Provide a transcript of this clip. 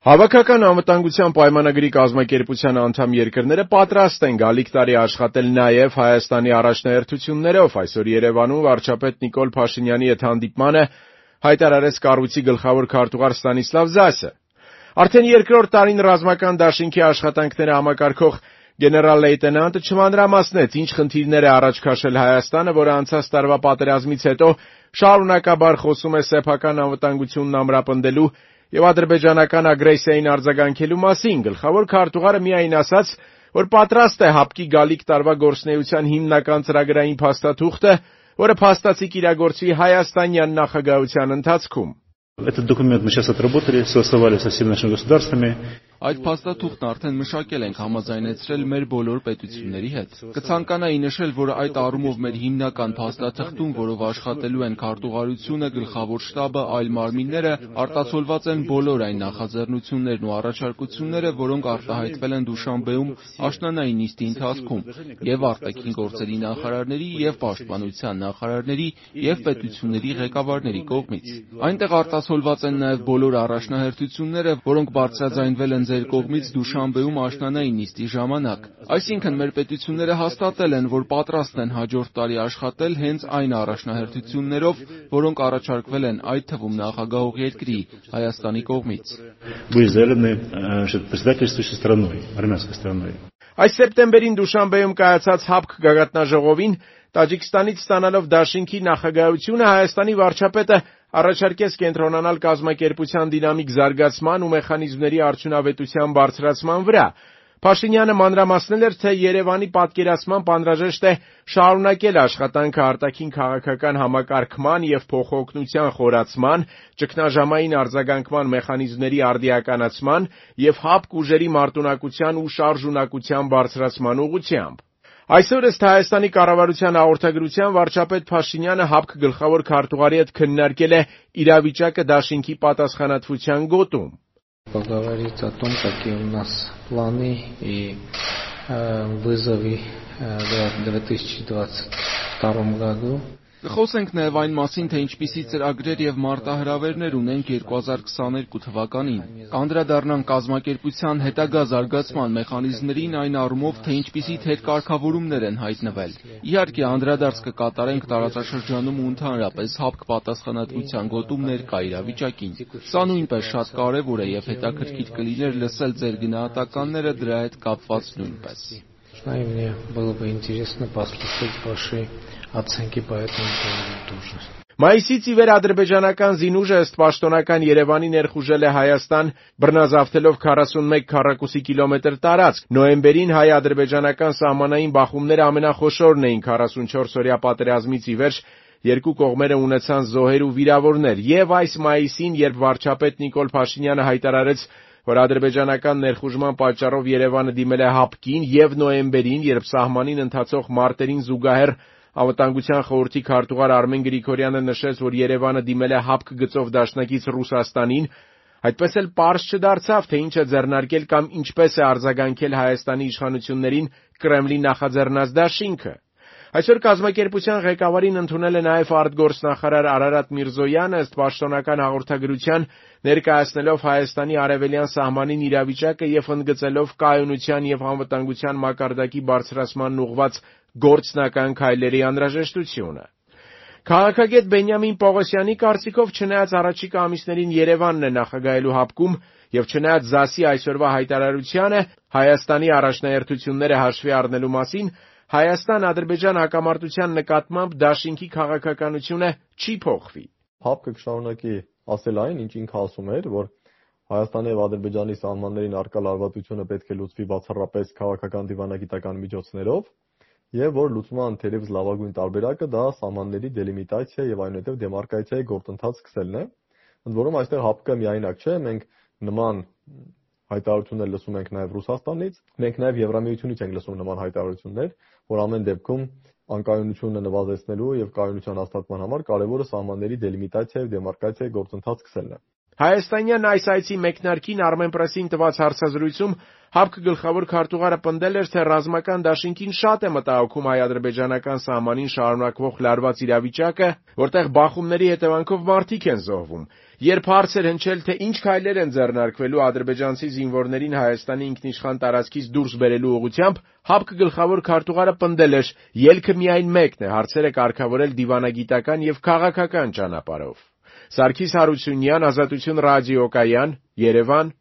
Հավաքական անվտանգության պայմանագրի կազմակերպության անդամ երկրները պատրաստ են գալիք տարի աշխատել նաև Հայաստանի առաջնահերթություններով, այսօր Երևանում վարչապետ Նիկոլ Փաշինյանի հետ հանդիպմանը հայտարարեց կառույցի գլխավոր քարտուղար Ստանիսլավ Զասը։ Արդեն երկրորդ տարին ռազմական դաշինքի աշխատանքները համակարգող գեներալ-լեյտենանտը չմանրամասնեց, ինչ խնդիրներ է առաջ քաշել Հայաստանը, որը անցած տարվա պատերազմից հետո շարունակաբար խոսում է սեփական անվտանգությունն ամրապնդելու եւ ադրբեջանական ագրեսիային արձագանքելու մասին։ Գլխավոր քարտուղարը միայն ասաց, որ պատրաստ է հապկի գալիք տարվա գործունեության հիմնական ծրագրային փաստաթուղթը, որը փաստացի կիրագործվի հայաստանյան նախագահության ընթացքում։ Этот документ мы сейчас отработали, согласовали со всеми нашими государствами. Այդ փաստաթուղթն արդեն մշակել ենք համաձայնեցրել մեր բոլոր պետությունների հետ։ Կցանկանայի նշել, որ այդ առումով մեր հիմնական փաստաթղթում, որով աշխատելու են քարտուղարությունը, գլխավոր շտաբը, այլ մարմինները, արտացոլված են բոլոր այն նախաձեռնություններն ու առաջարկությունները, որոնք արտահայտվել են Դուշանբեում աշնանային նիստի ընթացքում, եւ արտաքին գործերի նախարարների, եւ պաշտպանության նախարարների, եւ պետությունների ղեկավարների կողմից։ Այնտեղ արտացոլված են նաեւ բոլոր առաջնահերթությունները, որոնք բարձրաձայնվել են ձեր կողմից Դուշանբեում աշնանային նիստի ժամանակ։ Այսինքն մեր պետությունները հաստատել են, որ պատրաստ են հաջորդ տարի աշխատել հենց այն առաջնահերթություններով, որոնք առաջարկվել են այդ թվում նախագահող երկրի Հայաստանի կողմից։ Այս սեպտեմբերին Դուշանբեում կայացած ՀԱՊԿ գագաթնաժողովին Տաջիկստանից ստանալով դաշինքի նախագահությունը Հայաստանի վարչապետը առաջարկեց կենտրոնանալ կազմակերպության դինամիկ զարգացման ու մեխանիզմների արդյունավետության բարձրացման վրա։ Փաշինյանը մանրամասնել էր, թե Երևանի պատկերացմամբ անհրաժեշտ է շարունակել աշխատանքը արտաքին քաղաքական համակարգման եւ փոխօգնության խորացման, ճգնաժամային արձագանքման մեխանիզմների արդիականացման եւ ՀԱՊԿ ուժերի մարտունակության ու շարժունակության բարձրացման ուղղությամբ։ Այսօր ըստ Հայաստանի կառավարության հաղորդագրության վարչապետ Փաշինյանը ՀԱՊԿ գլխավոր քարտուղարի հետ քննարկել է իրավիճակը դաշինքի պատասխանատվության գոտում։ Поговорить о том, какие у нас планы и вызовы в 2022 году. Կխոսենք նաև այն մասին, թե ինչպիսի ծրագրեր եւ մարտահրավերներ ունենք 2022 թվականին։ Կանդրադառնանք կազմակերպության հետագա զարգացման մեխանիզմներին այն առումով, թե ինչպիսի թերկարգավորումներ են հայտնվել։ Իհարկե, անդրադարձ կկատարենք տարածաշրջանում ու ընդհանրապես ՀԱՊԿ պատասխանատվության գոտում ներկա իրավիճակին։ Սա նույնպես շատ կարևոր է եւ հետաքրքիր կլիներ լսել ձեր գնահատականները դրա հետ կապված նույնպես։ И мне было бы интересно послушать ваши оценки по этому поводу тоже. Մայիսից ի վեր ադրբեջանական զինուժը ըստ պաշտոնական Երևանի ներխուժել է Հայաստան, բռնազավթելով 41 քառակուսի կիլոմետր տարածք։ Նոյեմբերին հայ-ադրբեջանական սահմանային բախումները ամենախոշորն էին 44-օրյա պատերազմից ի վեր, երկու կողմերը ունեցան զոհեր ու վիրավորներ, եւ այս մայիսին, երբ վարչապետ Նիկոլ Փաշինյանը հայտարարեց, որ ադրբեջանական ներխուժման պատճառով Երևանը դիմել է ՀԱՊԿ-ին, եւ նոյեմբերին, երբ սահմանին ընթացող մարտերին զուգահեռ Անվտանգության խորհրդի քարտուղար Արմեն Գրիգորյանը նշեց, որ Երևանը դիմել է ՀԱՊԿ գծով դաշնակից Ռուսաստանին, այդպես էլ պարզ չդարձավ, թե ինչ է ձեռնարկել կամ ինչպես է արձագանքել Հայաստանի իշխանություններին Կրեմլի նախաձեռնած դաշինքը։ Այսօր կազմակերպության ղեկավարին ընդունել է նաև արտգործնախարար Արարատ Միրզոյանը, ըստ պաշտոնական հաղորդագրության ներկայացնելով Հայաստանի արևելյան սահմանին իրավիճակը եւ ընդգծելով կայունության եւ անվտանգության մակարդակի բարձրացմանն ուղղված գործնական քայլերի անհրաժեշտությունը։ Քաղաքագետ Բենյամին Պողոսյանի կարծիքով, չնայած առաջիկա ամիսներին Երևանն է նախագահելու ՀԱՊԿ-ում եւ չնայած ԶԱՍ-ի այսօրվա հայտարարությանը Հայաստանի առաջնահերթությունները հաշվի առնելու մասին, Հայաստան-Ադրբեջան հակամարտության նկատմամբ դաշինքի քաղաքականությունը չի փոխվի։ ՀԱՊԿ-ը կշարունակի ասել այն, ինչ ինքը ասում էր, որ Հայաստանի եւ Ադրբեջանի սահմաններին առկա լարվածությունը պետք է լուծվի բացառապես քաղաքական դիվանագիտական միջոցներով, եւ որ լուծման թերևս լավագույն տարբերակը դա սահմանների դելիմիտացիա եւ այնուհետեւ դեմարկացիայի գործընթաց սկսելն է։ Ընդ որում այստեղ ՀԱՊԿ-ը միայնակ չէ, մենք նման հայտարարություններ լսում ենք նաեւ Ռուսաստանից, մենք նաեւ Եվրամիությունից ենք լսում նման հայտարարություններ, որ ամեն դեպքում անկայունությունը նվազեցնելու եւ կայունության հաստատման համար կարեւորը սահմանների դելիմիտացիա եւ դեմարկացիայի գործընթաց սկսելն է։ Հայաստանյան այս այցի մեկնարկին Armenpress-ին տված հարցազրույցում ՀԱՊԿ գլխավոր քարտուղարը պնդել էր, թե ռազմական դաշինքին շատ է մտահոգում հայ-ադրբեջանական սահմանին շարունակվող լարված իրավիճակը, որտեղ բախումների հետևանքով մարդիկ են զոհվում, Երբ հարց էր հնչել, թե ինչ քայլեր են ձեռնարկվելու ադրբեջանցի զինվորներին Հայաստանի ինքնիշխան տարածքից դուրս բերելու ուղղությամբ, ՀԱՊԿ գլխավոր քարտուղարը պնդել էր. ելքը միայն մեկն է, հարցերը կարգավորել դիվանագիտական եւ քաղաքական ճանապարհով։ Սարգիս Հարությունյան, Ազատություն ռադիոկայան, Երևան,